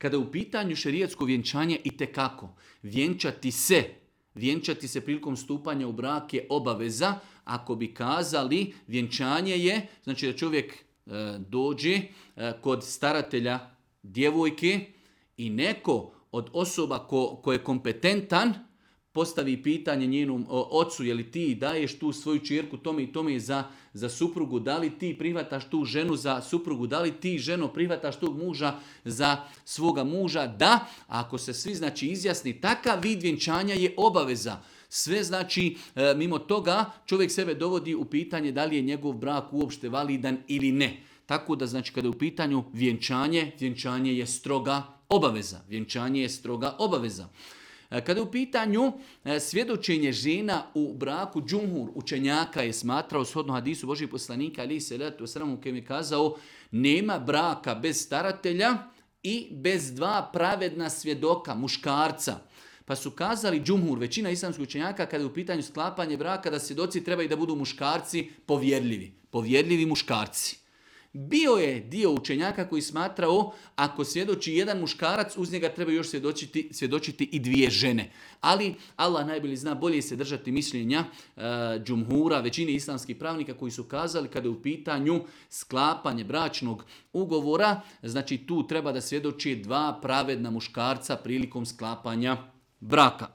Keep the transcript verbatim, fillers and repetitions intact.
Kada je u pitanju šerijatsko vjenčanje itekako, vjenčati se, vjenčati se prilikom stupanja u brak je obaveza. Ako bi kazali vjenčanje je, znači da čovjek e, dođe e, kod staratelja djevojke i neko od osoba ko, ko je kompetentan postavi pitanje njenom ocu, je li ti daješ tu svoju čerku tome i tome za, za suprugu, da li ti prihvataš tu ženu za suprugu, da li ti ženo prihvataš tog muža za svoga muža, da, ako se svi znači izjasni, takav vid vjenčanja je obaveza. Sve znači, e, mimo toga čovjek sebe dovodi u pitanje da li je njegov brak uopšte validan ili ne. Tako da znači kada je u pitanju vjenčanje, vjenčanje je stroga obaveza. Vjenčanje je stroga obaveza. Kada je u pitanju svjedočenje žena u braku, džumhur učenjaka je smatrao shodno hadisu Božih poslanika, ali se letu sramu kojem je kazao, nema braka bez staratelja i bez dva pravedna svjedoka, muškarca. Pa su kazali džumhur, većina islamskih učenjaka, kada je u pitanju sklapanje braka, da svjedoci trebaju da budu muškarci povjerljivi. Povjerljivi muškarci. Bio je dio učenjaka koji smatrao ako svjedoči jedan muškarac, uz njega treba još svjedočiti, svjedočiti i dvije žene. Ali Allah najbolje zna, bolje se držati mišljenja e, džumhura, većine islamskih pravnika koji su kazali kada je u pitanju sklapanje bračnog ugovora, znači tu treba da svjedoči dva pravedna muškarca prilikom sklapanja braka.